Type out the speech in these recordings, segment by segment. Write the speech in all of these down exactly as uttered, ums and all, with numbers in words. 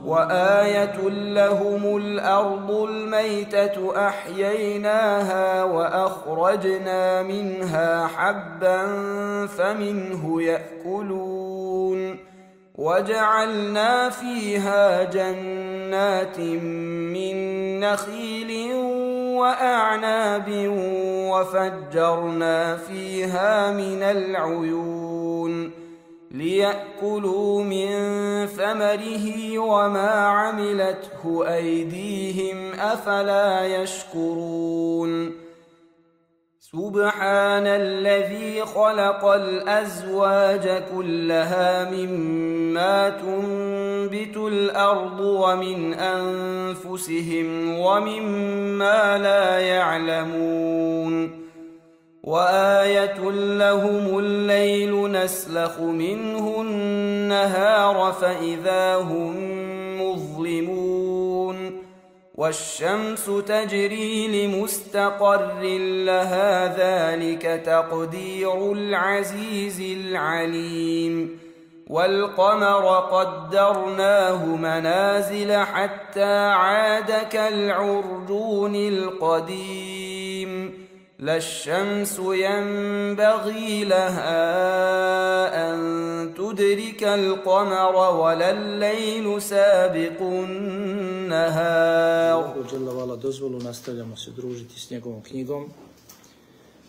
وآية لهم الأرض الميتة أحييناها وأخرجنا منها حبا فمنه يأكلون وجعلنا فيها جنات من نخيل وأعناب وفجرنا فيها من العيون ليأكلوا من ثمره وما عملته أيديهم أفلا يشكرون سبحان الذي خلق الأزواج كلها مما تنبت الأرض ومن أنفسهم ومما لا يعلمون وآية لهم الليل نسلخ منه النهار فإذا هم مظلمون والشمس تجري لمستقر لها ذلك تقدير العزيز العليم والقمر قدرناه منازل حتى عاد كالعرجون القديم لا الشمس ينبغي لها أن تدرك القمر ولا الليل سابق النهار. Allahu dželle vala dozvolu nastavljamo se družiti s njegovom knjigom.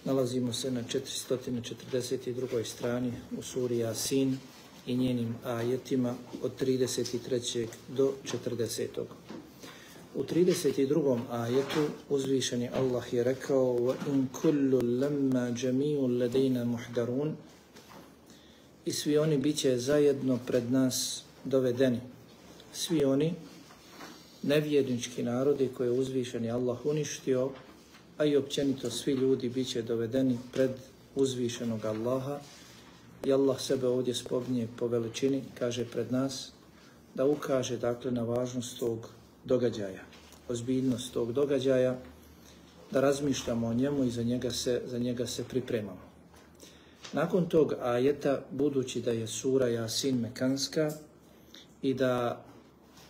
Nalazimo se na četiristo četrdeset drugoj strani u suri Jasin i njenim ajetima od trideset trećeg do četrdesetog U trideset drugom ajetu uzvišeni Allah je rekao wa in kullu lamma jami'un ladayna muhdarun i svi oni biće zajedno pred nas dovedeni. Svi oni nevjernički narodi koje je uzvišeni Allah uništio, a i općenito svi ljudi biće dovedeni pred uzvišenog Allaha. I Allah sebe ovdje spominje po veličini, kaže pred nas, da ukaže dakle na važnost tog događaja, ozbiljnost tog događaja, da razmišljamo o njemu i za njega se, za njega se pripremamo. Nakon tog ajeta, budući da je sura Jasin mekanska i da,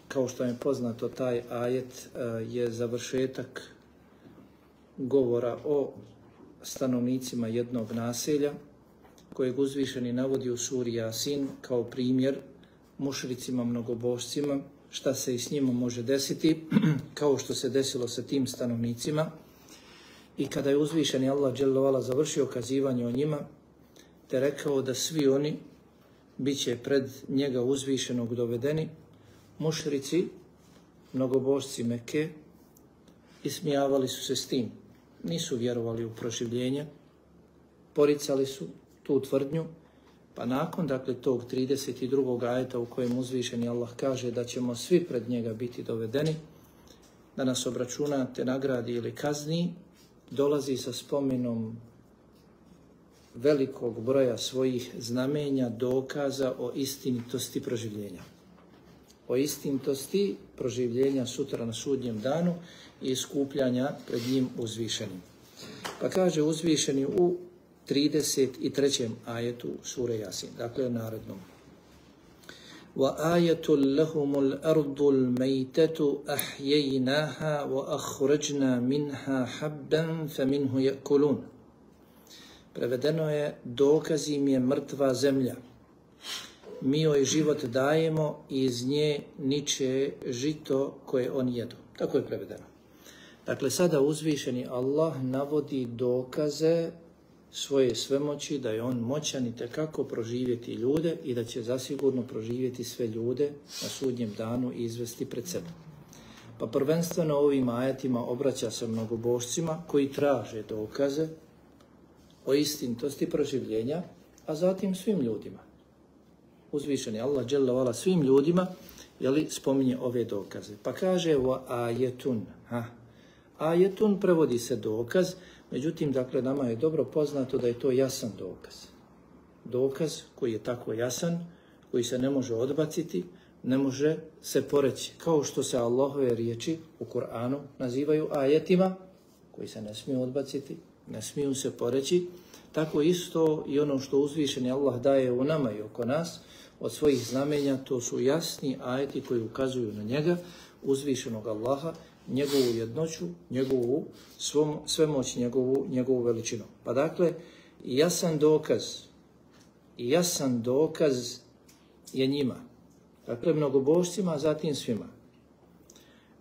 kao što je poznato, taj ajet je završetak govora o stanovnicima jednog naselja, kojeg uzvišeni navodi u suri Jasin kao primjer mušricima, mnogobožcima, šta se i s njima može desiti, kao što se desilo sa tim stanovnicima. I kada je uzvišeni Allah dželle vala završio kazivanje o njima, te rekao da svi oni bit će pred njega uzvišenog dovedeni, mušrici, mnogobožci Mekke, ismijavali su se s tim. Nisu vjerovali u proživljenje, poricali su tu tvrdnju, pa nakon dakle tog trideset drugog ajeta u kojem uzvišeni Allah kaže da ćemo svi pred njega biti dovedeni, da nas obračuna te nagradi ili kazni, dolazi sa spomenom velikog broja svojih znamenja, dokaza o istinitosti proživljenja. O istinitosti proživljenja sutra na sudnjem danu i iskupljanja pred njim uzvišenim. Pa kaže uzvišeni u trideset trećem ajetu sure Jasin, dakle narednom. وَآيَةٌ لَهُمُ الْأَرْضُ الْمَيْتَةُ أَحْيَيْنَاهَا وَأَخْرَجْنَا مِنْهَا حَبًّا فَمِنْهُ يَأْكُلُونَ. Prevedeno je, dokaz im je mrtva zemlja. Mi joj život dajemo i iz nje niče žito koje oni jedu. Tako je prevedeno. Dakle, sada uzvišeni Allah navodi dokaze svoje svemoći, da je on moćan i tekako proživjeti ljude i da će zasigurno proživjeti sve ljude na sudnjem danu i izvesti pred sebe. Pa prvenstveno ovim ajetima obraća se mnogobožcima koji traže dokaze o istinitosti proživljenja, a zatim svim ljudima. Uzvišeni Allah dželle vala svim ljudima, jeli, spominje ove dokaze. Pa kaže wa ajetun. Ha. Ajetun prevodi se dokaz, međutim, dakle, nama je dobro poznato da je to jasan dokaz. Dokaz koji je tako jasan, koji se ne može odbaciti, ne može se poreći. Kao što se Allahove riječi u Kur'anu nazivaju ajetima, koji se ne smiju odbaciti, ne smiju se poreći, Tako isto i ono što uzvišeni Allah daje u nama i oko nas od svojih znamenja, to su jasni ajeti koji ukazuju na njega, uzvišenog Allaha, njegovu jednoću, njegovu svom, svemoć, njegovu, njegovu veličinu. Pa dakle, jasan dokaz, jasan dokaz je njima. Dakle, mnogobožcima, a zatim svima.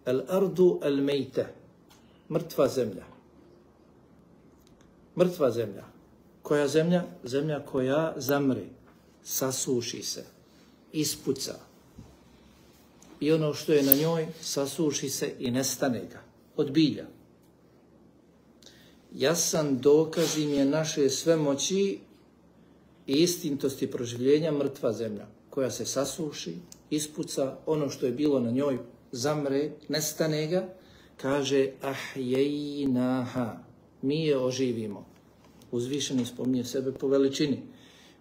El ardu el mejte, mrtva zemlja. Mrtva zemlja. Koja zemlja? Zemlja koja zamre, sasuši se, ispuca. I ono što je na njoj, sasuši se i nestane ga. Od bilja. Jasan dokaz im je naše svemoći i istintosti proživljenja mrtva zemlja, koja se sasuši, ispuca, ono što je bilo na njoj, zamre, nestane ga, kaže ahjejnaha, mi je oživimo. Uzvišeni spominje sebe po veličini.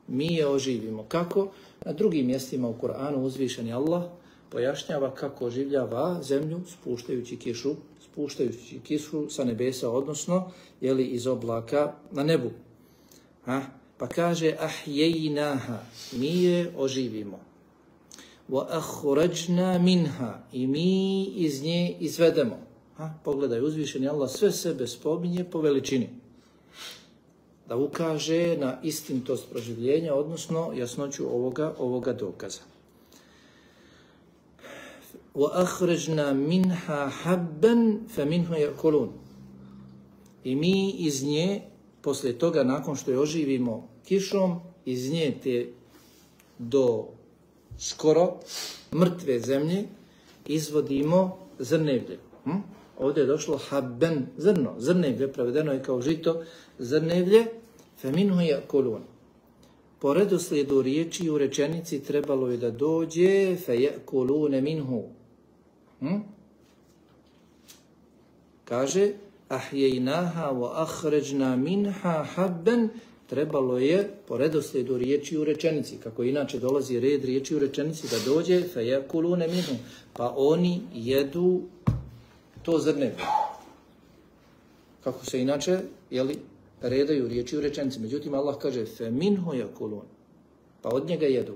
Mi je oživimo. Kako? Na drugim mjestima u Kur'anu uzvišeni Allah pojašnjava kako oživljava zemlju spuštajući kišu, spuštajući kišu sa nebesa, odnosno jeli, iz oblaka na nebu. Ha? Pa kaže ahjejnaha, mi je oživimo. Wa akhrajna minha, i mi iz nje izvedemo. Ha? Pogledaj, uzvišeni Allah sve sebe spominje po veličini. Da ukaže na istintost proživljenja, odnosno jasnoću ovoga, ovoga dokaza. وَأَخْرَجْنَا مِنْهَا حَبًّا فَمِنْهُ يَأْكُلُونَ. I mi iz nje, poslije toga, nakon što je oživimo kišom, iz nje te do skoro mrtve zemlje izvodimo zrnevlje. Hm? Ovdje je došlo habben, zrno, zrnevlje, prevedeno je kao žito, zrnevlje, فَمِنْهُ يَأْكُلُونَ. Po redoslijedu riječi u rečenici trebalo je da dođe فَيَأْكُلُونَ مِنْهُ. Hm? Kaže أَحْيَيْنَاهَا وَأَخْرَجْنَا مِنْهَا حَبًّا. Trebalo je po redoslijedu riječi u rečenici, kako inače dolazi red riječi u rečenici, da dođe فَيَأْكُلُونَ مِنْهُ. Pa oni jedu to zrnevlje. Kako se inače, jeli, redaju riječi u rečenici. Međutim, Allah kaže فَمِنْهُ يَأْكُلُونَ. Pa od njega jedu.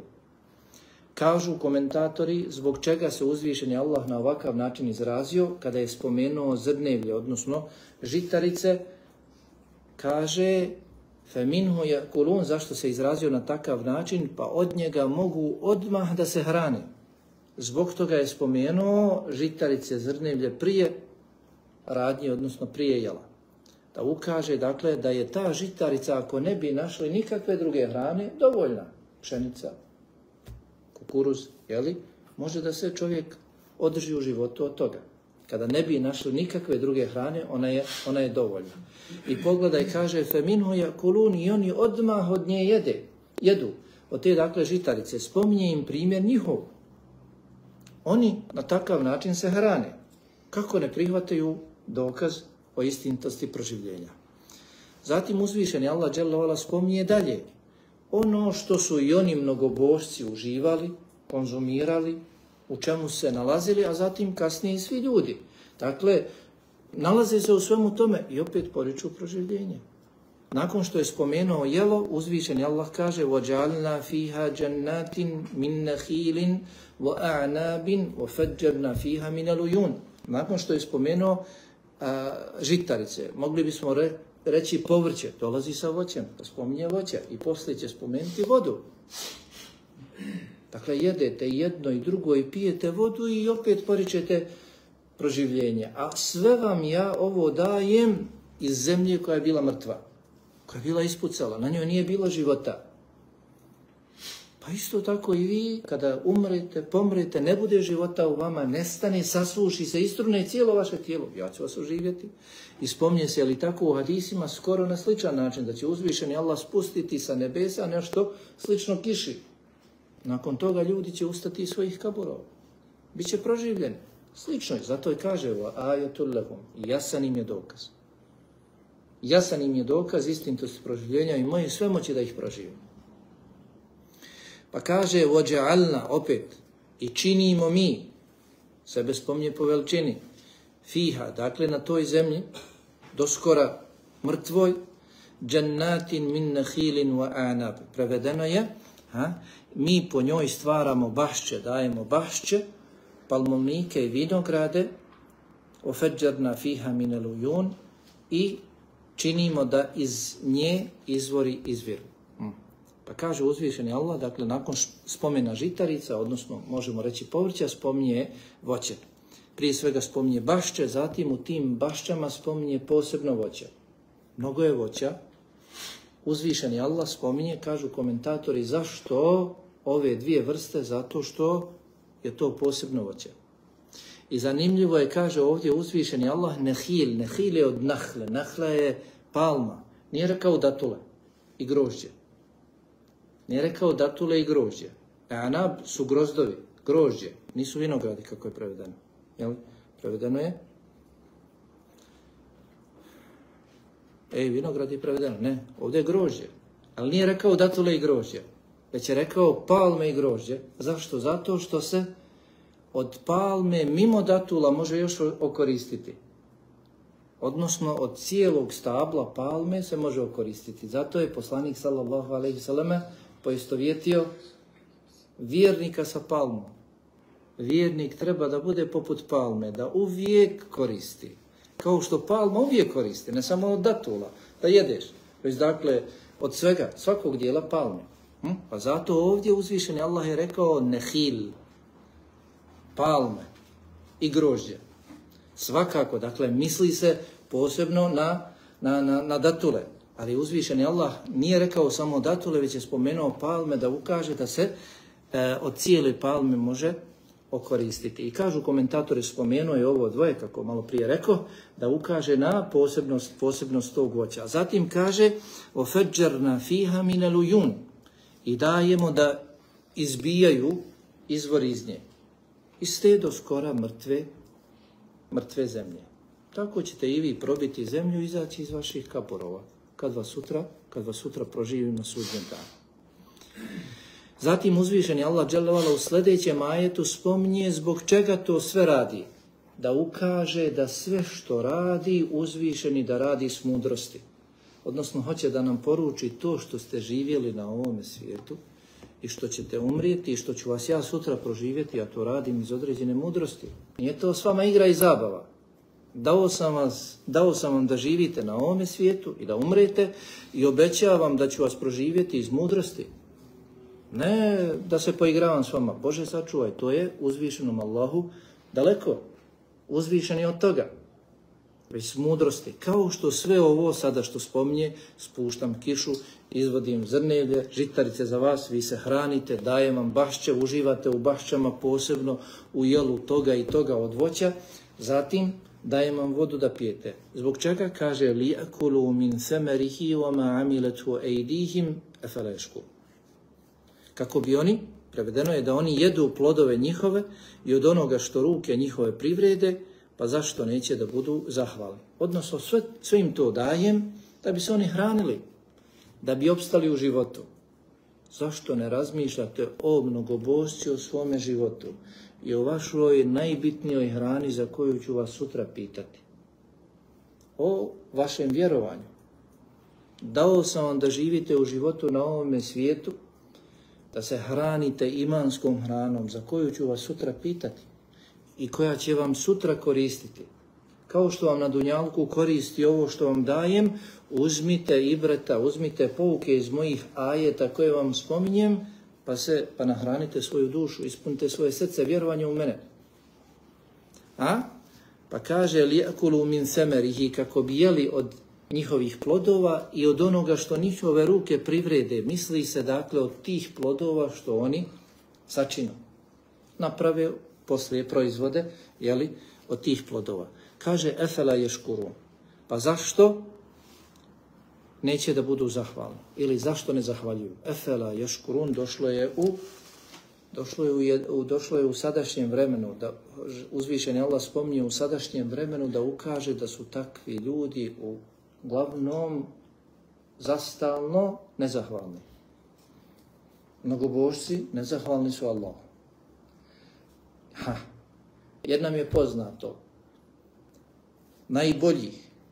Kažu komentatori zbog čega se uzvišeni Allah na ovakav način izrazio kada je spomenuo zrnevlje, odnosno žitarice, kaže فَمِنْهُ يَأْكُلُونَ. Zašto se izrazio na takav način? Pa od njega mogu odmah da se hrane. Zbog toga je spomenuo žitarice, zrnevlje prije radnje, odnosno prije jela. Da ukaže, dakle, da je ta žitarica, ako ne bi našli nikakve druge hrane, dovoljna. Pšenica, kukuruz, jeli, može da se čovjek održi u životu od toga. Kada ne bi našli nikakve druge hrane, ona je, ona je dovoljna. I pogledaj, kaže, فَمِنْهُ يَأْكُلُونَ. I oni odmah od nje jede, jedu. Od te, dakle, žitarice. Spominje im primjer njihov. Oni na takav način se hrane. Kako ne prihvataju dokaz o istintosti proživljenja. Zatim uzvišeni Allah dželle ve ala spominje dalje. Ono što su i oni mnogobožci uživali, konzumirali, u čemu se nalazili, a zatim kasnije i svi ljudi. Dakle, nalaze se u svemu tome i opet poriču proživljenje. Nakon što je spomenuo jelo, uzvišeni Allah kaže وَجَعَلْنَا فِيهَا جَنَّاتٍ مِنْ نَخِيلٍ وَأَعْنَابٍ وَفَجَّرْنَا فِيهَا مِنَ الْعُيُونِ. Nakon što je spomenuo a, žitarice, mogli bismo re, reći povrće, dolazi sa voćem, pa spominje voće i poslije će spomenuti vodu. Dakle, jedete jedno i drugo i pijete vodu i opet poričete proživljenje. A sve vam ja ovo dajem iz zemlje koja je bila mrtva, koja je bila ispucala, na njoj nije bilo života. Pa isto tako i vi, kada umrete, pomrete, ne bude života u vama, nestane, sasuši se, istrune cijelo vaše tijelo. Ja ću vas oživjeti. I spominje se, ali tako u hadisima, skoro na sličan način, da će uzvišeni Allah spustiti sa nebesa nešto slično kiši. Nakon toga ljudi će ustati iz svojih kaburova. Biće proživljeni. Slično je, zato i kaže ajatul lahum, jasan im je dokaz. Jasan im je dokaz istinitosti proživljenja i moje sve moći da ih proživim. Pa kaže وَجَعَلْنَا, opet, i činimo mi, sebe spominje po veličini, fiha, dakle na toj zemlji, doskora mrtvoj, Jannatin min nakhilin wa anab. Prevedeno je, ha, mi po njoj stvaramo bašće, dajemo bašće, palmovnike i vinograde, ofeđarna fiha min al-uyun, i činimo da iz nje izvori izviru. Hmm. Pa kaže uzvišeni Allah, dakle nakon spomena žitarica, odnosno možemo reći povrća, spominje voće. Prije svega spominje bašće, zatim u tim bašćama spominje posebno voće. Mnogo je voća. Uzvišeni Allah spominje, kažu komentatori, zašto ove dvije vrste? Zato što je to posebno voće. I zanimljivo je, kaže ovdje uzvišeni Allah, nehil. Nehil je od nahle. Nahla je palma. Nije rekao datule i grožđe. Nije rekao datule i grožđe. Anab su grozdovi, grožđe. Nisu vinogradi, kako je prevedeno. Jel? Prevedeno je? Ej, vinograd je prevedeno. Ne, ovdje je grožđe. Ali nije rekao datule i grožđe. Već je rekao palme i grožđe. Zašto? Zato što se od palme mimo datula može još okoristiti. Odnosno od cijelog stabla palme se može okoristiti. Zato je poslanik sallallahu alejhi ve selleme poistovjetio vjernika sa palmom. Vjernik treba da bude poput palme, da uvijek koristi. Kao što palma uvijek koristi, ne samo od datula, da jedeš. Već dakle, od svega, svakog dijela palme. Hm? Pa zato ovdje uzvišeni Allah je rekao nehil, palme i grožđe. Svakako, dakle, misli se posebno na, na, na, na datule. Ali uzvišeni Allah nije rekao samo datule, već je spomenuo palme da ukaže da se e, od cijele palme može okoristiti. I kažu komentatori, spomenuo je ovo dvoje, kako malo prije rekao, da ukaže na posebnost, posebnost tog voća. Zatim kaže ofeđarna fiha min al-uyun, i dajemo da izbijaju izvor iz nje. Iz te do skora mrtve, mrtve zemlje. Tako ćete i vi probiti zemlju i izaći iz vaših kaborova, kad vas sutra, kad vas sutra proživim na sudnjem danu. Zatim uzvišeni Allah dželle vala u sljedećem ajetu spominje zbog čega to sve radi. Da ukaže da sve što radi uzvišeni da radi s mudrosti. Odnosno hoće da nam poruči to što ste živjeli na ovome svijetu i što ćete umrijeti i što ću vas ja sutra proživjeti, a to radim iz određene mudrosti. Nije to s vama igra i zabava. Dao sam, vas, dao sam vam da živite na ovome svijetu i da umrete i obećavam da ću vas proživjeti iz mudrosti. Ne da se poigravam s vama. Bože sačuvaj, to je uzvišenom Allahu daleko. Uzvišen je od toga. Već s mudrosti. Kao što sve ovo sada što spominje, spuštam kišu, izvodim zrnevlje, žitarice za vas, vi se hranite, dajem vam bašće, uživate u bašćama, posebno u jelu toga i toga od voća. Zatim dajem vam vodu da pijete. Zbog čega kaže li'akulu min samarihi wa ma amilatu aydihim afala yashkurun. Kako bi oni, prevedeno je da oni jedu plodove njihove i od onoga što ruke njihove privrede, pa zašto neće da budu zahvalni. Odnosno sve, sve im to dajem da bi se oni hranili, da bi opstali u životu. Zašto ne razmišljate o mnogobožci u svome životu i o vašoj najbitnijoj hrani za koju ću vas sutra pitati? O vašem vjerovanju. Dao sam vam da živite u životu na ovome svijetu, da se hranite imanskom hranom za koju ću vas sutra pitati i koja će vam sutra koristiti. Kao što vam na dunjalku koristi ovo što vam dajem, uzmite ibreta, uzmite pouke iz mojih ajeta koje vam spominjem, pa se pa nahranite svoju dušu, ispunite svoje srce vjerovanje u mene. A? Pa kaže li'akulu min samarihi, kako bi jeli od njihovih plodova i od onoga što njihove ruke privrede. Misli se dakle od tih plodova što oni sačinu. Naprave poslije proizvode, jeli, od tih plodova. Kaže efela yashkurun. Pa zašto neće da budu zahvalni? Ili zašto ne zahvaljuju? Efela yashkurun došlo je u došlo je u, došlo je u sadašnjem vremenu, da uzvišeni Allah spominje u sadašnjem vremenu da ukaže da su takvi ljudi u glavnom zastalno nezahvalni. Mnogobožci nezahvalni su Allahu. Ha. Jer nam je poznato, najbolji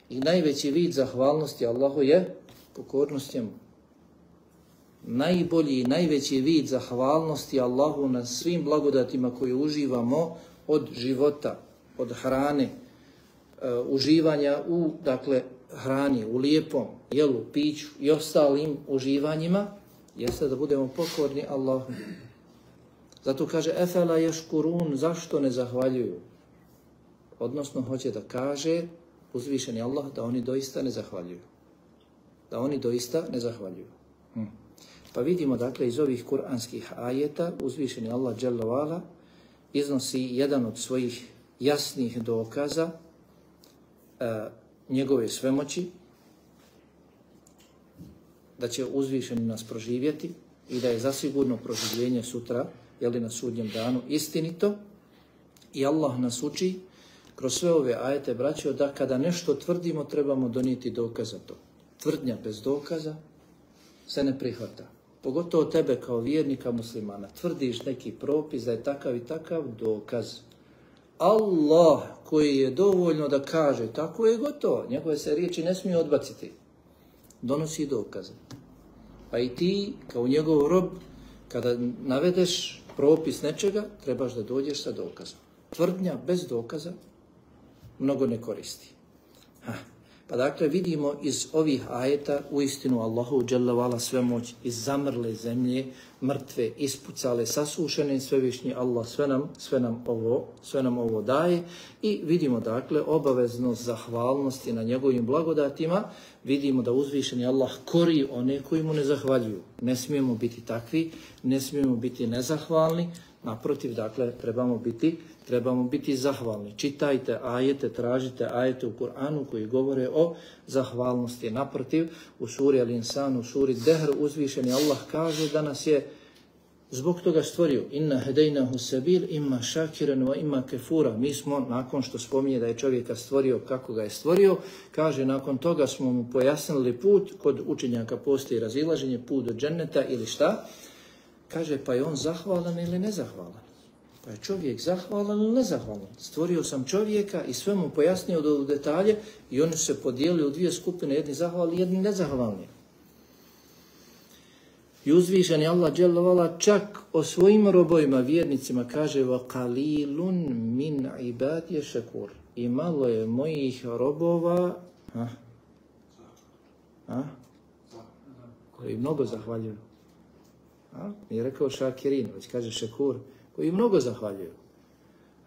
i najveći vid zahvalnosti Allahu je Pokornost njemu. Najbolji i najveći vid zahvalnosti Allahu na svim blagodatima koje uživamo od života, od hrane, uh, uživanja u, dakle, hrani, u lijepom jelu, piću i ostalim uživanjima, jeste da budemo pokorni Allahu. Zato kaže, efela ješkurun, zašto ne zahvaljuju? Odnosno, hoće da kaže, uzvišeni Allah, da oni doista ne zahvaljuju. Da oni doista ne zahvaljuju. Hm. Pa vidimo, dakle, iz ovih kuranskih ajeta, uzvišeni Allah dželle ve ala iznosi jedan od svojih jasnih dokaza e, njegove svemoći, da će uzvišeni nas proživjeti i da je zasigurno proživljenje sutra, jeli na sudnjem danu, istinito. I Allah nas uči kroz sve ove ajete, braćo, da kada nešto tvrdimo, trebamo donijeti dokaz za to. Tvrdnja bez dokaza se ne prihvata. Pogotovo tebe kao vjernika muslimana. Tvrdiš neki propis da je takav i takav, dokaz. Allah koji je dovoljno da kaže tako je gotovo, njegove se riječi ne smije odbaciti, donosi dokaze. Pa i ti kao njegov rob, kada navedeš propis nečega, trebaš da dođeš sa dokazom. Tvrdnja bez dokaza mnogo ne koristi. Ha. Pa dakle vidimo iz ovih ajeta uistinu Allahu dželle ve ala svemoć, iz zamrle zemlje, mrtve, ispucale, sasušene, svevišnji Allah sve nam, sve nam ovo, sve nam ovo daje i vidimo dakle obaveznost zahvalnosti na njegovim blagodatima. Vidimo da uzvišeni Allah kori one koji mu ne zahvaljuju. Ne smijemo biti takvi, ne smijemo biti nezahvalni. Naprotiv, dakle, trebamo biti, trebamo biti zahvalni. Čitajte ajete, tražite ajete u Kur'anu koji govore o zahvalnosti. Naprotiv, u suri Al-Insan, u suri Dehr, uzvišeni Allah kaže da nas je zbog toga stvorio. Inna hedejnahu sabil imma šakiran wa imma kefura. Mi smo, nakon što spominje da je čovjeka stvorio kako ga je stvorio, kaže nakon toga smo mu pojasnili put, kod učenjaka postoji razilaženje, put do dženneta ili šta. Kaže, pa je on zahvalan ili nezahvalan? Pa je čovjek zahvalan ili nezahvalan? Stvorio sam čovjeka i sve mu pojasnio do detalje i oni se podijeli u dvije skupine, jedni zahvalni, jedni nezahvalni. I uzvišeni Allah dželle ve ala čak o svojim robovima, vjernicima, kaže wa qalilun min ibadi shakur. I malo je mojih robova, ha? Ha? koji mnogo zahvaljuju. A? Nije rekao šakirin, već kaže šakur, koji mnogo zahvaljuju.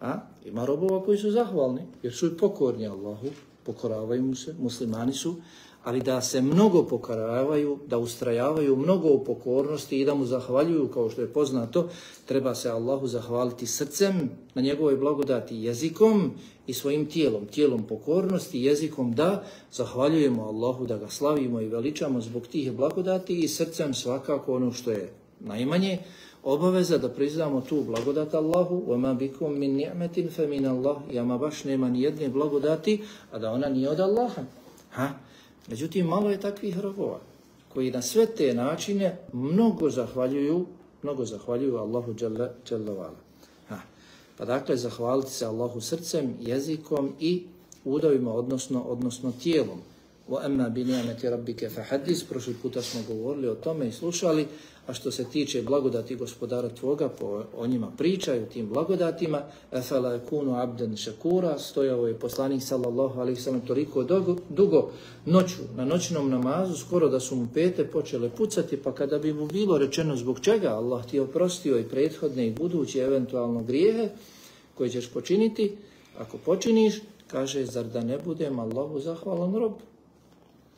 A? Ima robova koji su zahvalni, jer su i pokorni Allahu, pokoravaju mu se, muslimani su, ali da se mnogo pokoravaju, da ustrajavaju mnogo u pokornosti i da mu zahvaljuju, kao što je poznato, treba se Allahu zahvaliti srcem na njegovoj blagodati, jezikom i svojim tijelom, tijelom pokornosti, jezikom da zahvaljujemo Allahu, da ga slavimo i veličamo zbog tih blagodati i srcem svakako ono što je najmanje, obaveza da priznamo tu blagodat Allahu, وَمَا بِكُمْ مِنْ نِعْمَةٍ فَمِنَ اللَّهِ, i ama baš nema ni jedne blagodati, a da ona nije od Allaha. Ha? Međutim, malo je takvih robova koji na sve te načine mnogo zahvaljuju, mnogo zahvaljuju Allahu dželle ve ala. Ha. Pa dakle, zahvaliti se Allahu srcem, jezikom i udovima, odnosno, odnosno tijelom. وَأَمَّا بِنِعْمَةِ رَبِّكَ فَحَدِّثْ, prošli puta smo govorili o tome i slušali, a što se tiče blagodati gospodara tvoga, po, o njima pričaju, tim blagodatima, أَفَلَا يَكُونُ عَبْدًا شَكُورًا, stojao je poslanik sallallahu alejhi ve sellem toliko dugo, dugo noću, na noćnom namazu, skoro da su mu pete počele pucati, pa kada bi mu bilo rečeno zbog čega Allah ti je oprostio i prethodne i buduće eventualno grijehe koje ćeš počiniti, ako počiniš, kaže, zar da ne budem Allahu zahvalan rob?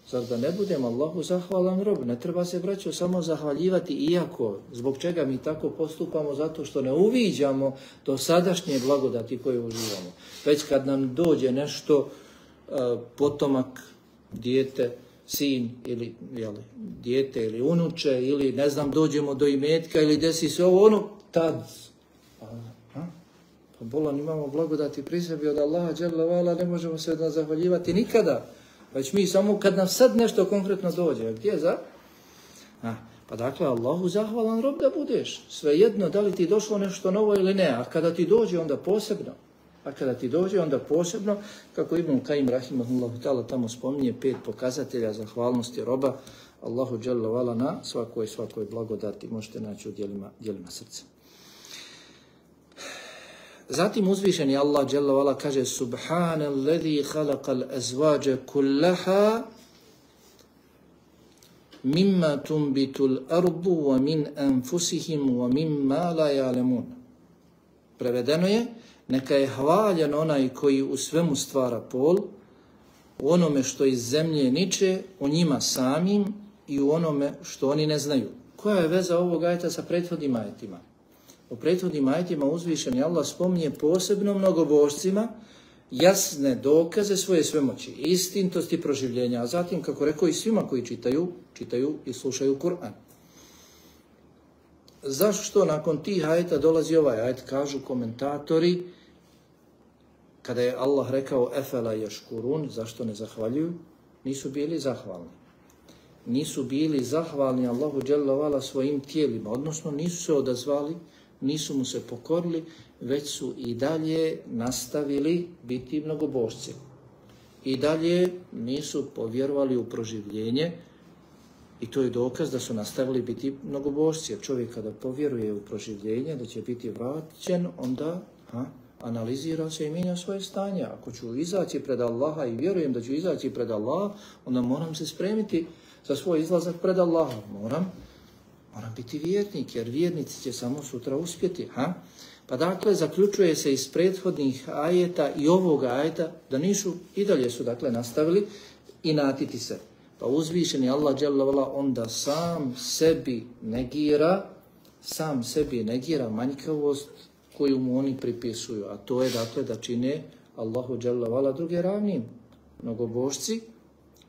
Zar da ne budem Allahu zahvalan rob? Ne treba se, braćo, samo zahvaljivati, iako zbog čega mi tako postupamo, zato što ne uviđamo do sadašnje blagodati koje uživamo. Već kad nam dođe nešto, uh, potomak, dijete, sin ili jeli, dijete ili unuče, ili ne znam, dođemo do imetka ili desi se ovo, ono, tad. A, a? Pa bolan, imamo blagodati pri sebi od Allaha dželle ve ala, ne možemo se zahvaljivati nikada. Već mi samo kad nam sad nešto konkretno dođe. Gdje za? A, pa dakle, Allahu zahvalan rob da budeš. Svejedno da li ti došlo nešto novo ili ne. A kada ti dođe, onda posebno. A kada ti dođe, onda posebno, kako Ibn Kajim rahimahullahu ta'ala tamo spominje, pet pokazatelja zahvalnosti roba Allahu dželle vala na svakoj svakoj blagodati možete naći u djelima, djelima srca. Zatim uzvišeni Allah dželle vala kaže Subhanalladhi khalaqal azwaja kullaha mimma tunbitul ardu wa min anfusihim wa mimma la ya'lamun. Prevedeno je, neka je hvaljen onaj koji u svemu stvara pol, u onome što iz zemlje niče, u njima samim i u onome što oni ne znaju. Koja je veza ovog ajeta sa prethodnim ajetima? U prethodnim ajetima uzvišeni Allah spominje posebno mnogobožcima jasne dokaze svoje svemoći, istintosti proživljenja, a zatim, kako rekao, i svima koji čitaju, čitaju i slušaju Kur'an. Zašto nakon tih ajeta dolazi ovaj ajet? Kažu komentatori, kada je Allah rekao efela jaškurun, zašto ne zahvaljuju? Nisu bili zahvalni. Nisu bili zahvalni Allahu dželle vala svojim tijelima, odnosno nisu se odazvali, nisu mu se pokorili, već su i dalje nastavili biti mnogobožci. I dalje nisu povjerovali u proživljenje i to je dokaz da su nastavili biti mnogobožci. Jer čovjek kada povjeruje u proživljenje, da će biti vraćen, onda ha, analizira se i mijenja svoje stanje. Ako ću izaći pred Allaha i vjerujem da ću izaći pred Allaha, onda moram se spremiti za svoj izlazak pred Allaha. Moram, moram biti vjernik, jer vjernici će samo sutra uspjeti. Ha? Pa dakle, zaključuje se iz prethodnih ajeta i ovog ajeta da nisu, i dalje su dakle nastavili i natiti se. Pa uzvišeni Allah dželle vala onda sam sebi negira, sam sebi negira manjkavost koju mu oni pripisuju, a to je dakle da čine Allahu dželle vala druge ravnim. Mnogobožci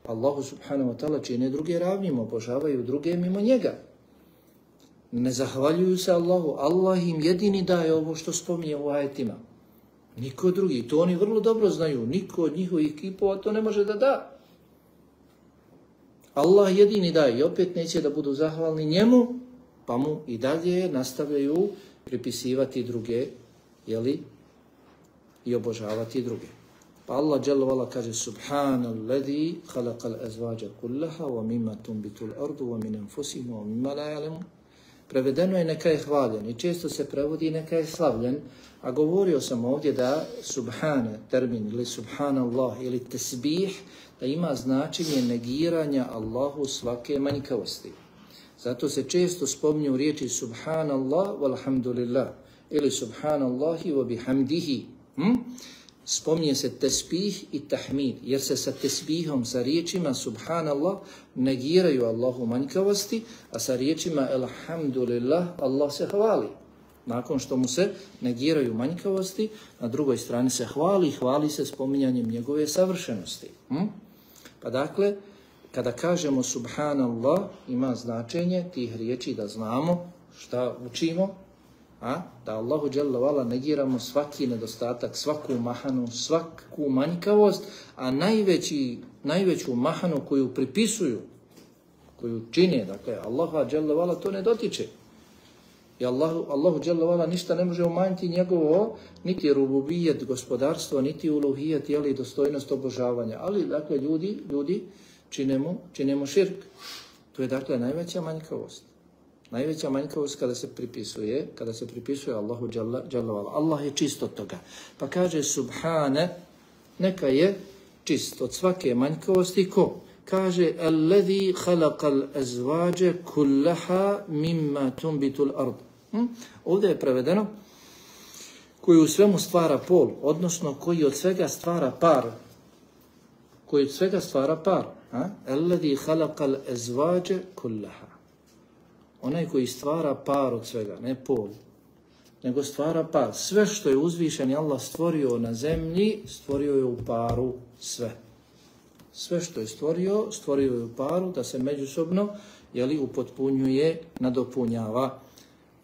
Allahu subhanahu wa ta'ala čine druge ravnim, obožavaju druge mimo njega. Ne zahvaljuju se Allahu, Allah im jedini daje ovo što spominje u ajetima. Niko drugi, to oni vrlo dobro znaju, niko od njihovih kipova to ne može da da. Allah jedini daje i opet neće da budu zahvalni njemu, pa mu i dalje nastavljaju pripisivati druge, jeli, i obožavati druge. Pa Allah dželle vala kaže Subhanalladhi khalaqal azwaja kullaha wa mimma tunbitul ardu wa min anfusihim wa mimma la ya'lamun. Prevedeno je neka je hvaljen i često se prevodi neka je slavljen, a govorio sam ovdje da subhane, termin ili subhanallah ili tesbih, da ima značenje negiranja Allahu svake manjkavosti. Zato se često spominju riječi subhanallah walhamdulillah ili subhanallahi wa bihamdihi. Hm? Spominje se tesbih i tahmid, jer se sa tesbihom, sa riječima subhanallah negiraju Allahu manjkavosti, a sa riječima alhamdulillah Allah se hvali. Nakon što mu se negiraju manjkavosti, na drugoj strani se hvali, hvali se spominjanjem njegove savršenosti. Hm? Pa dakle, kada kažemo subhanallah, ima značenje tih riječi da znamo šta učimo, a da Allahu dželle vala negiramo svaki nedostatak, svaku mahanu, svaku manjkavost, a najveći, najveću mahanu koju pripisuju, koju čine, dakle, Allahu dželle vala to ne dotiče. I Allahu, Allahu dželle vala ništa ne može umanjiti njegovo, niti rububijet, gospodarstvo, niti uluhijet, jeli dostojnost obožavanja. Ali, dakle, ljudi, ljudi činemo, činemo širk. To je, dakle, najveća manjkavost. Najveća manjkavost kada se pripisuje, kada se pripisuje Allahu dželle vala. Allah je čist od toga. Pa kaže subhane, neka je čist od svake manjkavosti. Ko? Kaže alladhi khalaqal azwaja kullaha mimma tunbitul ard. Hm? Ovdje je prevedeno koji u svemu stvara pol, odnosno koji od svega stvara par. Koji od svega stvara par. Alladhi khalaqal azwaja kullaha. Onaj koji stvara par od svega, ne pol, nego stvara par. Sve što je uzvišeni Allah stvorio na zemlji, stvorio je u paru sve. Sve što je stvorio, stvorio je u paru, da se međusobno, jeli, upotpunjuje, nadopunjava.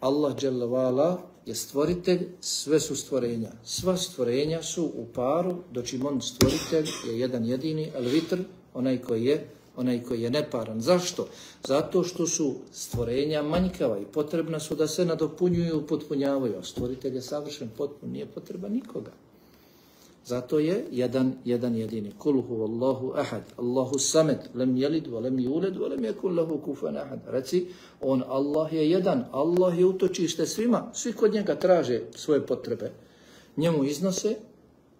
Allah dželle vala je stvoritelj, sve su stvorenja. Sva stvorenja su u paru, dočim on stvoritelj je jedan jedini, al-vitr, onaj koji je onaj koji je neparan. Zašto? Zato što su stvorenja manjkava i potrebna su da se nadopunjuju i upotpunjavaju. A stvoritelj je savršen, potpun, nije potreba nikoga. Zato je jedan, jedan jedini. Kul huvallahu ahad, Allahu samed, lem jelid, wa lem juled, wa lem yakun lahu kufuwan ahad. Reci, on Allah je jedan, Allah je utočište svima, svi kod njega traže svoje potrebe. Njemu iznose,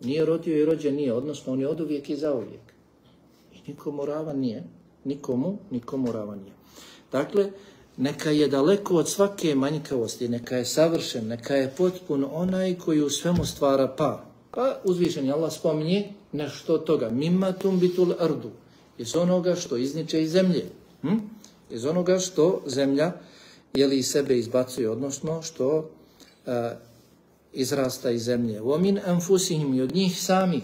nije rodio i rođen nije, odnosno on je oduvijek i zauvijek. I nikomu ravan nije, nikomu, nikomu ravan nije. Dakle, neka je daleko od svake manjkavosti, neka je savršen, neka je potpun onaj koji u svemu stvara par. Pa uzvišeni Allah spominje nešto od toga. Mimma tumbitul ardu. Iz onoga što izniče iz zemlje. Hm? Iz onoga što zemlja jeli iz sebe izbacuje, odnosno što uh, izrasta iz zemlje. Vomin anfusihim, i od njih samih,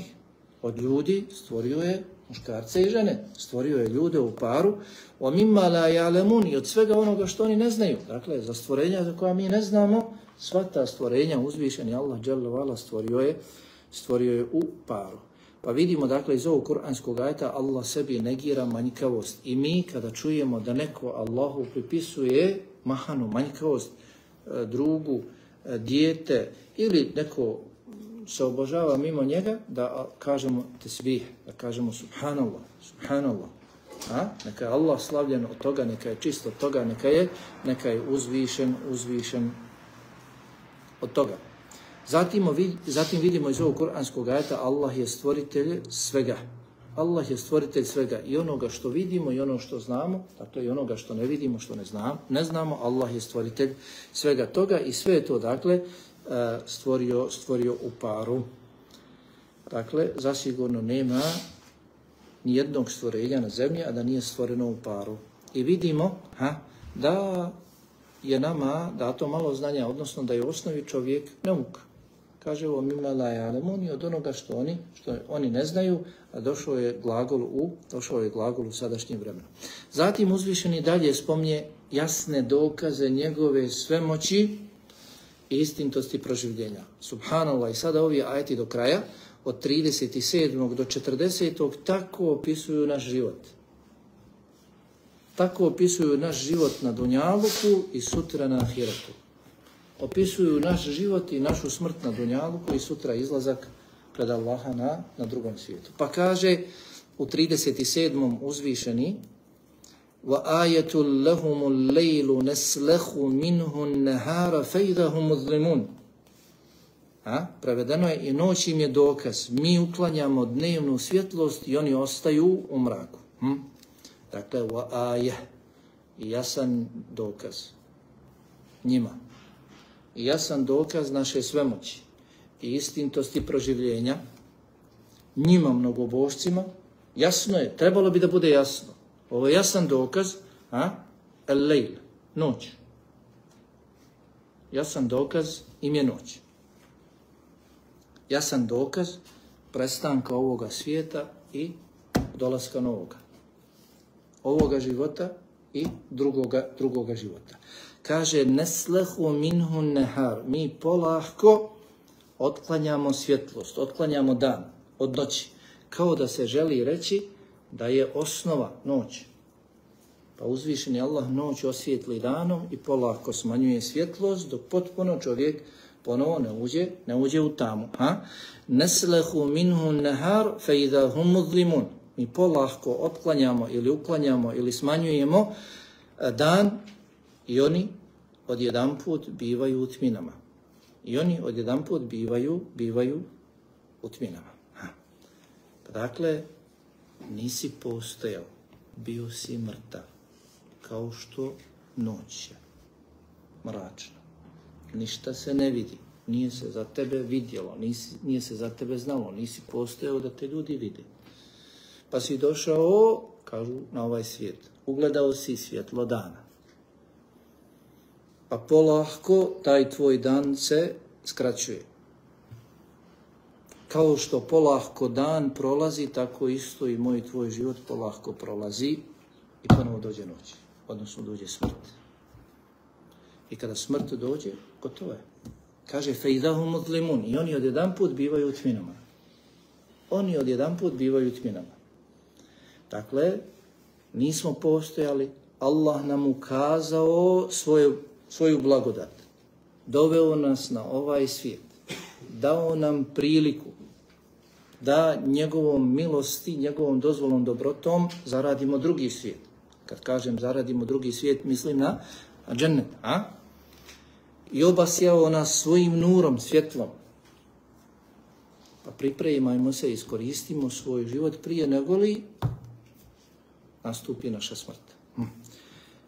od ljudi stvorio je muškarce i žene. Stvorio je ljude u paru. Vomimma la ja'lamun, i od svega onoga što oni ne znaju. Dakle, za stvorenja za koja mi ne znamo, sva ta stvorenja uzvišeni Allah dželle ve ala stvorio je stvorio je u paru. Pa vidimo dakle iz ovog kuranskog ajeta Allah sebi negira manjkavost. I mi kada čujemo da neko Allahu pripisuje mahanu, manjkavost, drugu, dijete ili neko se obožava mimo njega, da kažemo tesbih, da kažemo subhanallah, subhanallah. A? Neka je Allah slavljen od toga, neka je čist od toga, neka je, neka je uzvišen, uzvišen od toga. Zatim, zatim vidimo iz ovog kuranskog ajeta Allah je stvoritelj svega. Allah je stvoritelj svega, i onoga što vidimo i ono što znamo, dakle i onoga što ne vidimo, što ne znamo, ne znamo, Allah je stvoritelj svega toga i sve je to dakle stvorio, stvorio u paru. Dakle, zasigurno nema ni jednog stvorenja na zemlji, a da nije stvoreno u paru. I vidimo ha, da je nama dato malo znanja, odnosno da je u osnovi čovjek neuk. Kaže ovo mimma la ja'lamun, od onoga što oni, što oni ne znaju, a došao je glagol u, došao je glagol u sadašnjem vremenu. Zatim uzvišeni dalje spominje jasne dokaze njegove svemoći i istintosti proživljenja. Subhanallah, i sada ovi ajeti do kraja, od trideset sedmog do četrdesetog tako opisuju naš život. Tako opisuju naš život na Dunjaluku i sutra na Ahiretu. Opisuju naš život i našu smrt na Dunjaluku i sutra izlazak pred Allaha na, na drugom svijetu. Pa kaže u trideset sedmom uzvišeni وَآيَةٌ لَهُمُ اللَّيْلُ نَسْلَخُ مِنْهُ النَّهَارَ فَإِذَا هُمْ مُظْلِمُونَ. A, prevedeno je, i noć im je dokaz. Mi uklanjamo dnevnu svjetlost i oni ostaju u mraku. Hm? Dakle, وَآيَةٌ, i jasan dokaz njima. I jasan dokaz naše svemoći i istintosti proživljenja njima, mnogobožcima. Jasno je, trebalo bi da bude jasno. Ovo je jasan dokaz, a? El-lejl, noć. Jasan dokaz im je noć. Jasan dokaz prestanka ovoga svijeta i dolaska novoga. Ovoga života i drugoga, drugoga života. Kaže, neslehu minhu nehar, mi polahko otklanjamo svjetlost, otklanjamo dan od noći. Kao da se želi reći da je osnova noć. Pa uzvišeni Allah noć osvijetli danom i polako smanjuje svjetlost, dok potpuno čovjek ponovo ne uđe, ne uđe u tamu. Ha? Neslehu minhu nehar fe idha hum muzlimun. Mi polako otklanjamo ili uklanjamo ili smanjujemo dan i oni odjedanput bivaju u tminama. I oni odjedanput bivaju, bivaju u tminama. Ha. Pa dakle, nisi postojao, bio si mrtav, kao što noć je mračna. Ništa se ne vidi, nije se za tebe vidjelo, nisi, nije se za tebe znalo, nisi postojao da te ljudi vide. Pa si došao, kažu, na ovaj svijet, ugledao si svjetlo dana. Pa polahko taj tvoj dan se skraćuje. Kao što polahko dan prolazi, tako isto i moj tvoj život polahko prolazi i ponovo dođe noć, odnosno dođe smrt. I kada smrt dođe, gotovo je. Kaže, fejdahu muzlimun, i oni odjedanput bivaju u tminama. Oni odjedanput bivaju u tminama. Dakle, nismo postojali, Allah nam ukazao svoju, svoju blagodat. Doveo nas na ovaj svijet. Dao nam priliku da njegovom milosti, njegovom dozvolom dobrotom zaradimo drugi svijet. Kad kažem zaradimo drugi svijet, mislim na džennet, a? I obasjao nas svojim nurom, svjetlom. Pa pripremajmo se, iskoristimo svoj život prije nego li nastupi naša smrt. Hm.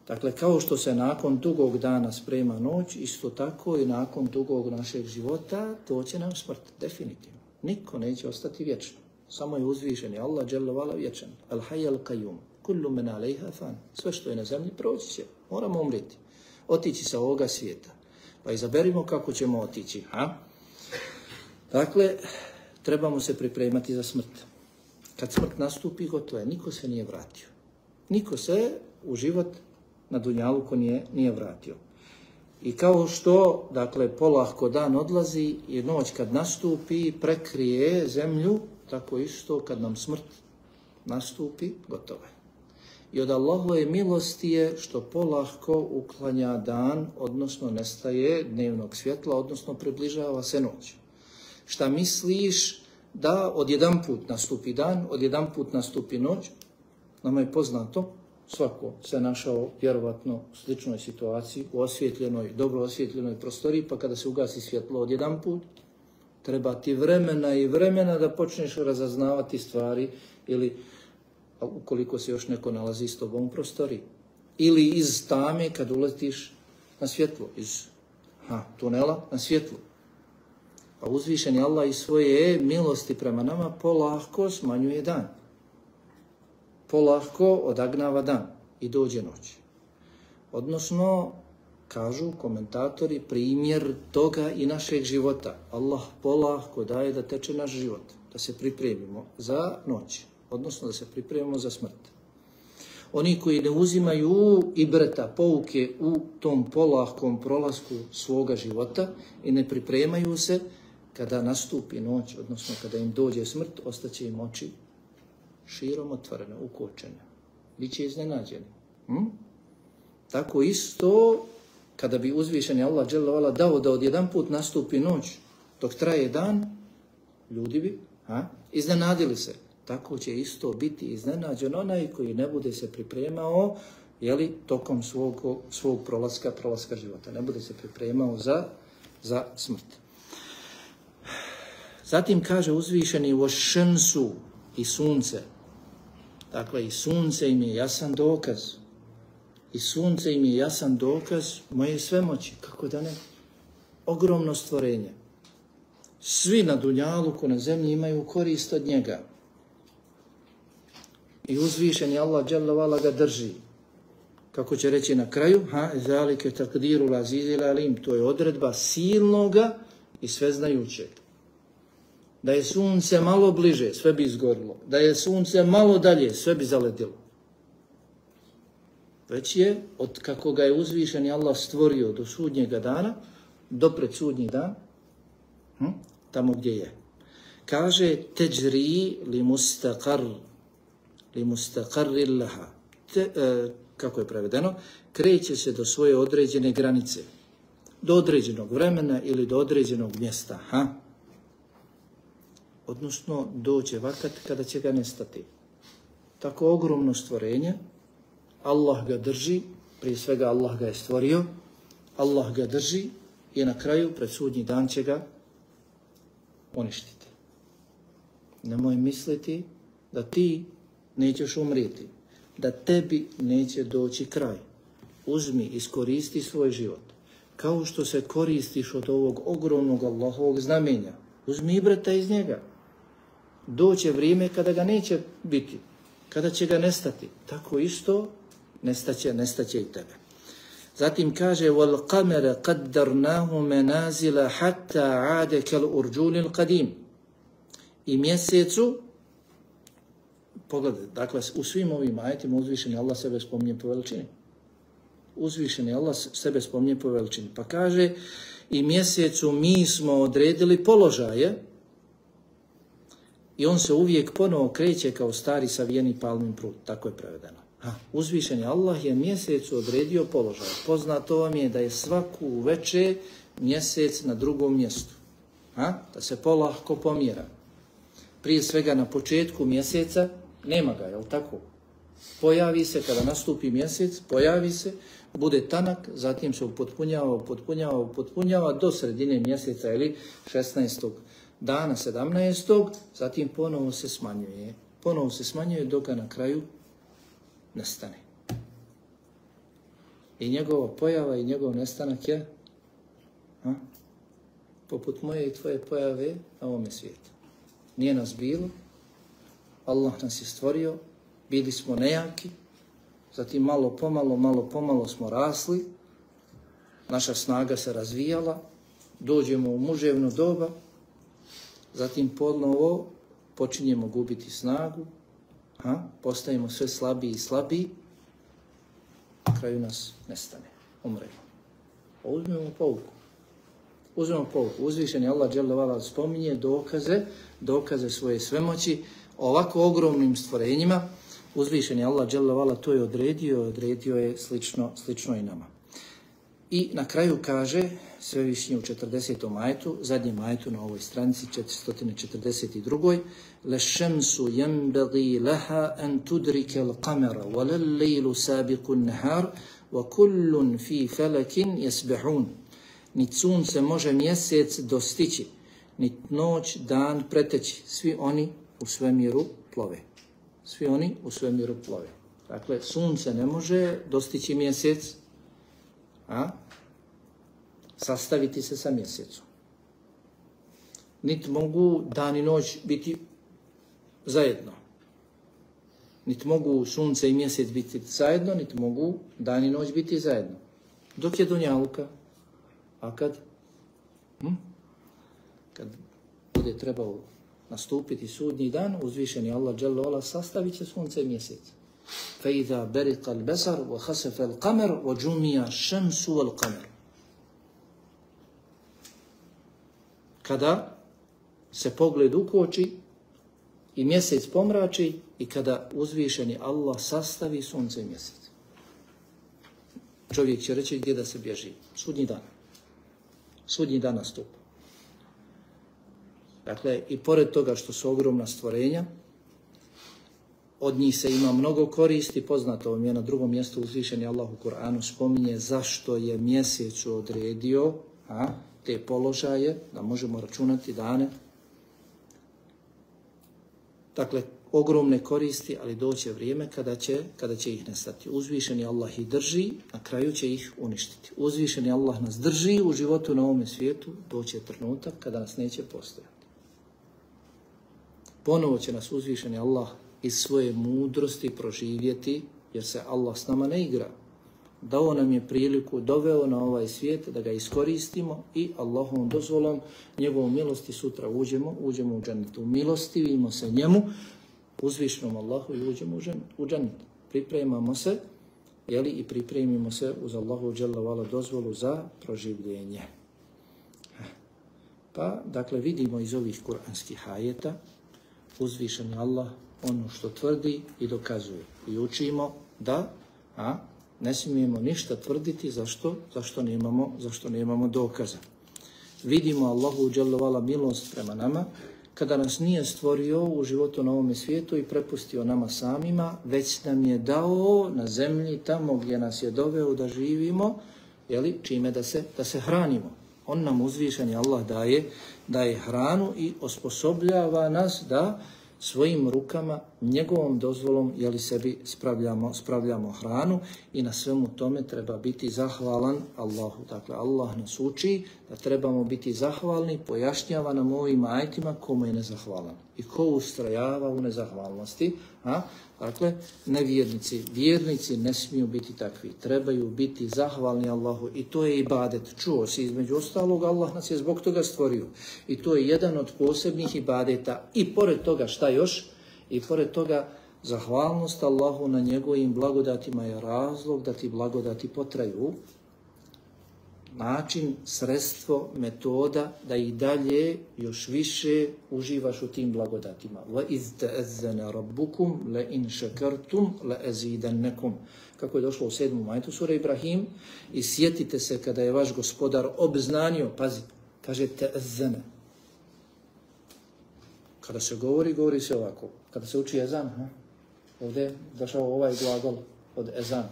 Dakle, kao što se nakon dugog dana sprema noć, isto tako i nakon dugog našeg života doće nam smrt, definitivno. Niko neće ostati vječno. Samo je uzvišen, je Allah dželle vala vječan. Al hayy al qayyum. Kullu man alayha fan. Sve što je na zemlji proći će. Moramo umreti. Otići sa ovoga svijeta. Pa izaberimo kako ćemo otići. Ha? Dakle, trebamo se pripremati za smrt. Kad smrt nastupi, gotovo je. Niko se nije vratio. Niko se u život na dunjaluku nije, nije vratio. I kao što, dakle, polahko dan odlazi i noć kad nastupi, prekrije zemlju, tako isto kad nam smrt nastupi, gotovo je. I od Allahove milosti je što polahko uklanja dan, odnosno nestaje dnevnog svjetla, odnosno približava se noć. Šta misliš da odjedan put nastupi dan, odjedan put nastupi noć? Nama je poznato, svako se našao vjerovatno u sličnoj situaciji, u osvjetljenoj, dobro osvjetljenoj prostoriji, pa kada se ugasi svjetlo odjedan put, treba ti vremena i vremena da počneš razaznavati stvari ili ukoliko se još neko nalazi s tobom u prostoriji. Ili iz tame kad uletiš na svjetlo, iz ha, tunela na svjetlo. Pa uzvišeni Allah iz svoje milosti prema nama polahko smanjuje dan. Polahko odagnava dan i dođe noć. Odnosno, kažu komentatori, primjer toga i našeg života. Allah polahko daje da teče naš život, da se pripremimo za noć, odnosno da se pripremimo za smrt. Oni koji ne uzimaju ibreta, pouke u tom polahkom prolasku svoga života i ne pripremaju se, kada nastupi noć, odnosno kada im dođe smrt, ostaće im oči širom otvorene, ukočene. Biće iznenađeni. Hm? Tako isto, kada bi uzvišeni Allah dželle vala dao da odjedan put nastupi noć, dok traje dan, ljudi bi ha, iznenadili se. Tako će isto biti iznenađen onaj koji ne bude se pripremao, jeli, tokom svog, svog prolaska, prolaska života. Ne bude se pripremao za, za smrt. Zatim kaže uzvišeni vošensu i sunce. Dakle, i sunce im je jasan dokaz. I sunce im je jasan dokaz moje svemoći. Kako da ne? Ogromno stvorenje. Svi na dunjaluku, na zemlji imaju korist od njega. I uzvišeni Allah dželle vala ga drži. Kako će reći na kraju, ha, zalike takdirul azizil alim, to je odredba silnoga i sveznajućeg. Da je sunce malo bliže, sve bi izgorilo. Da je sunce malo dalje, sve bi zaledilo. Već je, od kako ga je uzvišeni Allah stvorio do sudnjega dana, do pred sudnji dan, hm, tamo gdje je. Kaže, teđri li mustaqar, li mustaqarri laha. Te, e, kako je prevedeno? Kreće se do svoje određene granice. Do određenog vremena ili do određenog mjesta. Ha? Odnosno, doće vakat kada će ga nestati. Tako ogromno stvorenje, Allah ga drži, prije svega Allah ga je stvorio, Allah ga drži i na kraju, pred sudnji dan će ga uništiti. Nemoj misliti da ti nećeš umrijeti, da tebi neće doći kraj. Uzmi, iskoristi svoj život. Kao što se koristiš od ovog ogromnog Allahovog znamenja, uzmi ibreta iz njega. Doće vrijeme kada ga neće biti, kada će ga nestati. Tako isto nestaće, nestaće i tebe. Zatim kaže wal qamara qaddarnahu manazila hatta aada kal urjunil qadim. I mjesecu, pogledajte, dakle u svim ovim ajetima uzvišeni Allah sebe spominje po veličini. Uzvišeni Allah sebe spominje po veličini. Pa kaže i mjesecu mi smo odredili položaje i on se uvijek ponovo kreće kao stari savijeni palmin prut. Tako je prevedeno. Ha, uzvišeni Allah je mjesecu odredio položaj. Poznato vam je da je svaku večer mjesec na drugom mjestu. Ha? Da se polahko pomjera. prije svega na početku mjeseca, nema ga, jel tako? Pojavi se, kada nastupi mjesec, pojavi se, bude tanak, zatim se upotpunjava, upotpunjava, upotpunjava do sredine mjeseca ili šesnaestog dana, sedamnaestog zatim ponovo se smanjuje. Ponovo se smanjuje dok ga na kraju nestane. I njegova pojava i njegov nestanak je a, poput moje i tvoje pojave na ovome svijetu. Nije nas bilo, Allah nas je stvorio, bili smo nejaki, zatim malo pomalo, malo pomalo smo rasli, naša snaga se razvijala, dođemo u muževno doba, zatim ponovo počinjemo gubiti snagu, a, postajemo sve slabiji i slabiji, na kraju nas nestane, umremo. Uzmemo pouku. Uzmemo pouku. Uzvišeni Allah dželle vala spominje dokaze, dokaze svoje svemoći ovako ogromnim stvorenjima. Uzvišeni Allah dželle vala to je odredio, odredio je slično, slično i nama. I na kraju kaže Svevišnji u četrdesetom ajetu, zadnjem ajetu na ovoj stranici četiristo četrdeset dva. Lešemsu yenbaghi laha an tudrike al-qamara wa lal-lejlu sabiqu an-nahar wa kullun fi falakin yasbahun. Nit sunce može mjesec dostići, nit noć dan preteći. Svi oni u svemiru plove. Svi oni u svemiru plove. Dakle, sunce ne može dostići mjesec, a sastaviti se sa mjesecom. Niti mogu dan i noć biti zajedno. Niti mogu sunce i mjesec biti zajedno, niti mogu dan i noć biti zajedno. Dok je dunjaluka, a kad? Hm? Kad bude trebao nastupiti sudnji dan, uzvišeni Allah dželle vala sastavit će sunce i mjesec. فَإِذَا بَرِقَ الْبَصَرُ وَخَسَفَ الْقَمَرُ وَجُمِّعَ الشَّمْسُ وَالْقَمَرُ. Kada se pogled ukoči i mjesec pomrači i kada uzvišeni Allah sastavi sunce i mjesec. Čovjek će reći gdje da se bježi. Sudnji dan. Sudnji dan nastupa. Dakle, i pored toga što su ogromna stvorenja, od njih se ima mnogo koristi, poznato vam je na drugom mjestu uzvišeni Allah u Kur'anu spominje zašto je mjesec odredio a, te položaje, da možemo računati dane. Dakle, ogromne koristi, ali doće vrijeme kada će, kada će ih nestati. Uzvišeni Allah ih drži, na kraju će ih uništiti. Uzvišeni Allah nas drži u životu na ovome svijetu, doće trenutak kada nas neće postojati. Ponovo će nas uzvišeni Allah iz svoje mudrosti proživjeti, jer se Allah s nama ne igra. Dao nam je priliku, doveo na ovaj svijet da ga iskoristimo i Allahovom dozvolom, njegovom milosti sutra uđemo, uđemo u džennetu. Milostivimo se njemu, uzvišenom Allahu i uđemo u džennetu. Pripremamo se, jeli, i pripremimo se uz Allahu dželle vala dozvolu za proživljenje. Pa, dakle, vidimo iz ovih kuranskih ajeta, uzvišeni Allah ono što tvrdi i dokazuje. I učimo da a, ne smijemo ništa tvrditi zašto, zašto, nemamo, zašto nemamo dokaza. Vidimo Allahu dželle vala milost prema nama kada nas nije stvorio u životu na ovome svijetu i prepustio nama samima, već nam je dao na zemlji tamo gdje nas je doveo da živimo, jeli, čime da se, da se hranimo. On nam uzvišeni Allah daje, daje hranu i osposobljava nas da svojim rukama, njegovom dozvolom, jeli sebi spravljamo, spravljamo hranu i na svemu tome treba biti zahvalan Allahu. Dakle, Allah nas uči da trebamo biti zahvalni, pojašnjava nam ovim ajetima komu je nezahvalan i ko ustrajava u nezahvalnosti. A? Dakle, nevjernici, vjernici ne smiju biti takvi, trebaju biti zahvalni Allahu i to je ibadet. Čuo si, između ostalog, Allah nas je zbog toga stvorio i to je jedan od posebnih ibadeta i pored toga šta još? I pored toga zahvalnost Allahu na njegovim blagodatima je razlog da ti blagodati potraju, način, sredstvo, metoda da i dalje još više uživaš u tim blagodatima. وَإِذْ تَأَذَّنَ رَبُّكُمْ لَإِنْ شَكَرْتُمْ لَأَزِيدَنَّكُمْ. Kako je došlo u sedmom ajetu sure Ibrahim, i sjetite se kada je vaš gospodar obznanio, pazi, kaže te'azzana. kada se govori, govori se ovako. Kada se uči ezan, ha? Ovdje je došao ovaj glagol od ezan.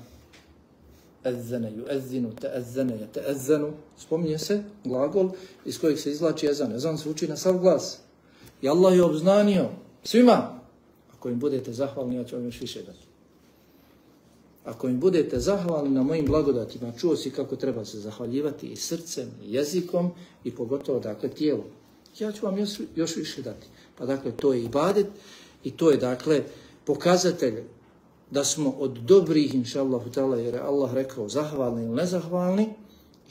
Ezzene, ju ezzinu, te ezzene, je te ezzenu. Spominje se glagol iz kojeg se izvlači ezan. Ezan se uči na sav glas. I Allah je obznanio svima. Ako im budete zahvalni, ja ću vam još više dati. Ako im budete zahvalni na mojim blagodatima, čuo si kako treba se zahvaljivati i srcem, i jezikom, i pogotovo, dakle, tijelom. Ja ću vam još, još više dati. Pa, dakle, to je ibadet i to je, dakle, pokazatelj da smo od dobrih, inša Allahu ta'ala, jer je Allah rekao zahvalni ili nezahvalni,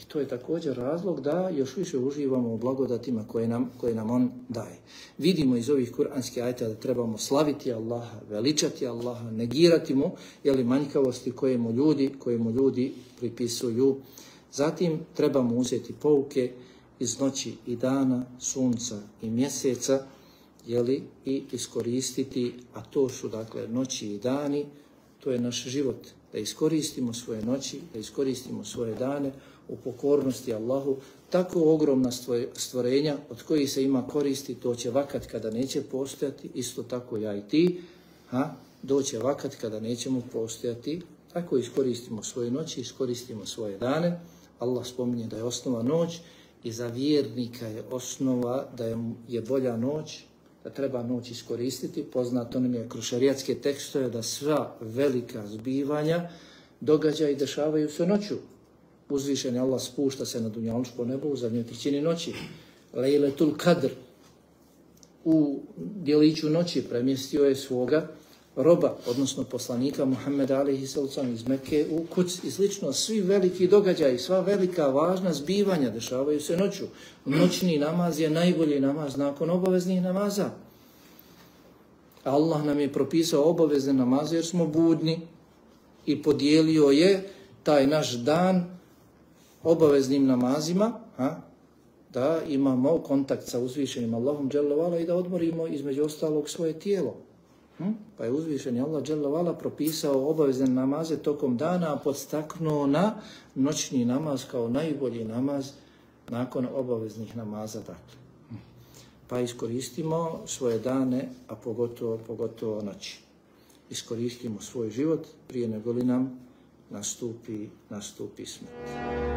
i to je također razlog da još više uživamo u blagodatima koje nam, koje nam On daje. Vidimo iz ovih kuranskih ajeta da trebamo slaviti Allaha, veličati Allaha, negirati mu, jeli, manjkavosti koje mu ljudi, koje mu ljudi pripisuju. Zatim trebamo uzeti pouke iz noći i dana, sunca i mjeseca, jeli, i iskoristiti, a to su, dakle, noći i dani, to je naš život, da iskoristimo svoje noći, da iskoristimo svoje dane u pokornosti Allahu. Tako ogromna stvorenja od kojih se ima koristi, to će vakat kada neće postojati, isto tako ja i ti, ha? Doće vakat kada nećemo postojati, tako iskoristimo svoje noći, iskoristimo svoje dane. Allah spominje da je osnova noć i za vjernika je osnova da je, je bolja noć, da treba noć iskoristiti. Poznato nam je kroz šarijatske tekstove da sva velika zbivanja, događaja i dešavaju se noću. Uzvišen je Allah spušta se na dunjalučko nebo u zadnjoj trećini noći. Lejletul Kadr u djeliću noći premjestio je svoga roba, odnosno poslanika Muhammeda alejhi sallam iz Mekke u Kuc i slično. Svi veliki događaji, sva velika važna zbivanja dešavaju se noću. Noćni namaz je najbolji namaz nakon obaveznih namaza. Allah nam je propisao obavezne namaze jer smo budni i podijelio je taj naš dan obaveznim namazima, ha? Da imamo kontakt sa uzvišenim Allahom dželle vala i da odmorimo između ostalog svoje tijelo. Hm? Pa je uzvišeni Allah dželle vala propisao obavezne namaze tokom dana, a podstaknuo na noćni namaz kao najbolji namaz nakon obaveznih namaza. Dakle. Pa iskoristimo svoje dane, a pogotovo, pogotovo noći. Iskoristimo svoj život prije nego li nam nastupi, nastupi smrt.